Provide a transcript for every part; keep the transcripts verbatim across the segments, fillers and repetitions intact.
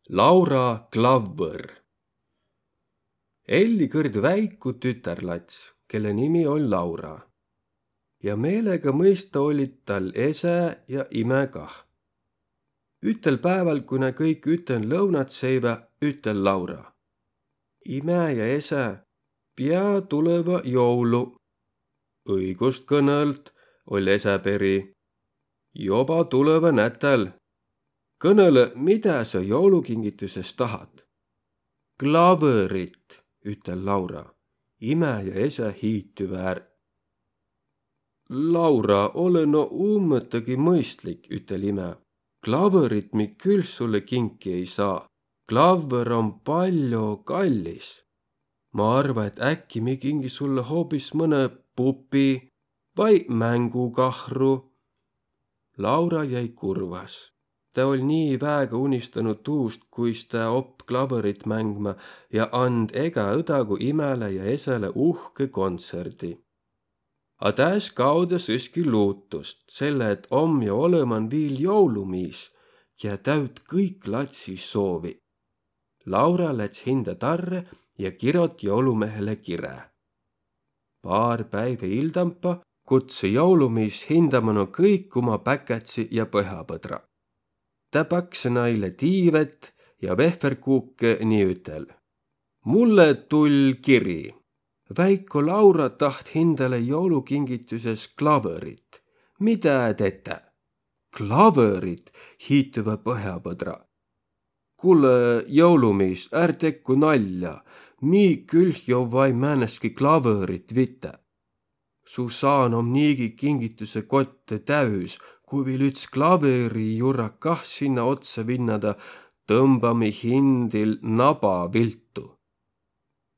Laura klavvõr. Elli kõrd väiku tütärlats, kelle nimi oll' Laura. Ja meelega mõista ollit tal esä ja imä kah. Ütel pääval, ku nä kõik üten lõunat seivä, ütel Laura: Imä ja esä, pia tulõva joulu. Õigust kõnõlt, oll' esä peri. Joba tulõva nätäl. Kõnõlõ, midä sa joulukingitüses tahat? Klavõrit, ütel Laura. Imä ja esä hiitüvä är. Laura, olõ no ummõtagi mõistlik, ütel imä. Klavõrit mi külh sullõ kinki ei saa. Klavvõr om paljo kallis. Ma arva, et äkki mi kingi sullõ hoobis mõnõ pupi vai mängukahru. Laura jäi kurvas. Tä oll' nii väega unistanu tuust, kuis tä opp' klavõrit mängmä ja and' ega õdagu imäle ja esäle uhkõ kontsõrdi. A tä es kaoda süski luutust, selle et om jo olõman viil joulumiis, kiä täüt' kõik latsi soovi. Laura läts hinda tarrõ ja kirot' joulumehele kirä. Paar päivä ildampa kutsõ joulumiis hinda mano kõik uma päkätsi ja pohapõdra. Tä paksõ naile tiivet ja vehverkuukõ ni ütel: Mulle tull' kiri. Väiko Laura taht hindale joulukingitüses klavõrit. Midä tetä? Klavõrit, hiitüvä pohapõdra. Kullõ, joulumiis, är tekku nalja. Mi külh jovva-i määnestki klavõrit vitä. Su saan om niigi kingitüse kotte täüs, ku viil üts klavõri jura kah sinnä otsa vinnada, tõmbami hindil naba viltu.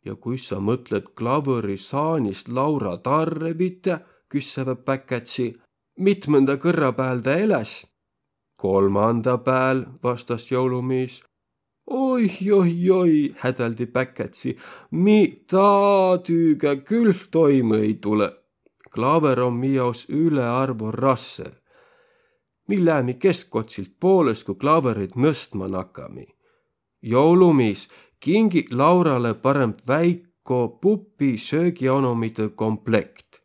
Ja kuis sa mõtlõt klavõri saanist Laura tarre vitä, küssevä päkätsi. Mitmõnda kõrra pääl tä eläs? Kolmanda pääl, vastas joulumiis. Oi, oi, oi, hädäldi päkätsi, mi taa tüüga külh toimõ ei tulõ. Klavõr om mi jaos ülearvo rassõ. Mi läämi keskkotsilt poolõs, ku klavõrit nõstma nakami. Joulumiis, kingi Lauralõ parõmb väiko pupi söögianomidõ komplekt.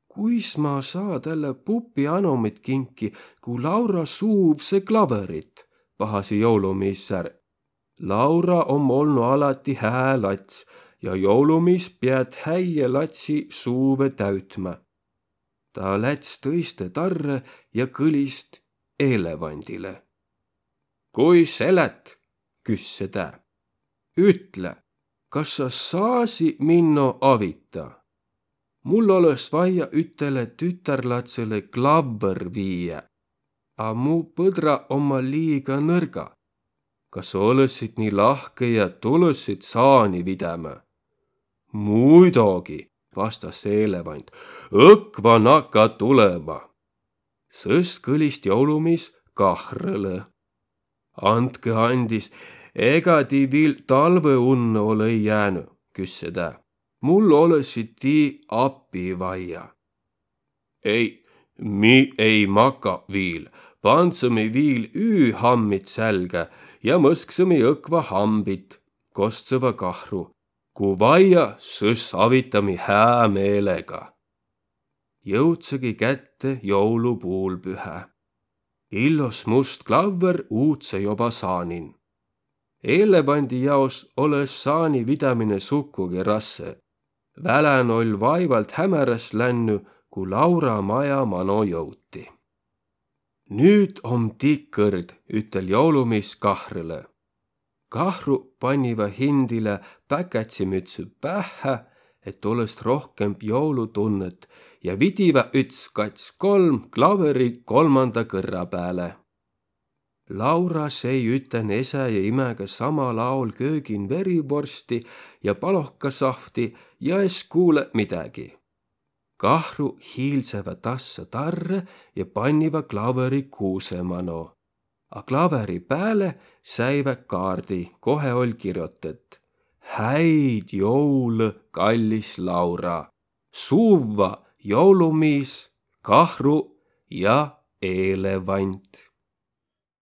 Kuis ma saa tälle pupi anomit kinki, ku Laura suuvsõ klavõrit, pahasi joulumiis är. Laura om olnu alati hää lats ja joulumiis piät häie latsi suuvõ täütmä. Taa läts tõistõ tarrõ ja kõlist eelevandilõ. Kuis elät? Küsse tä. Ütle, kas sa saasi minno avita? Mul olõs vaia ütele tütärlatsõlõ klavvõr viiä, a mu põdra omma liiga nõrga. Kas olõssit nii lahkõ ja tulõssit saani vidämä? Muidogi, vastas eelevant, õkva nakka tulõma. Sõs kõlist joulumiis kahrõlõ. Andkõ andis, ega ti viil talvõunnõ olõ-i jäänü, küsse tä. Mul olõssi ti api vaia. Ei, mi ei maka viil, pandsõmi viil üühammit sälgä ja mõsksõmi õkva hambit, kostsõva kahru. Ku vaia, sõs avitami hää meelega. Jõudsõgi kätte joulupuulpühä. Illos must klavvõr uutsõ joba saanin. Eelevandi jaos olõ-õs saani vidämine sukugi rassõ. Välän oll' vaivalt hämäräs lännü, ku Laura maja mano jõuti. Nüüt om ti kõrd, ütel joulumiis kahrõlõ. Kahru panniva hindile päkätsimütsü pähhä, et olõs rohkemb joulutunnõt, ja vidivä üts, kats, kolm klavõri kolmanda kõrra pääle. Laura sei üten esä ja imäga samal aol köögin verivorsti ja palohkasahvti ja es kuulõ midägi. Kahru hiilsevä tassa tarrõ ja panniva klavõri kuusõ mano. A klavõri pääle säivä kaardi, kohe oll' kirjotõt: Häid joulõ, kallis Laura! Suvva joulumiis, kahru ja eelevant.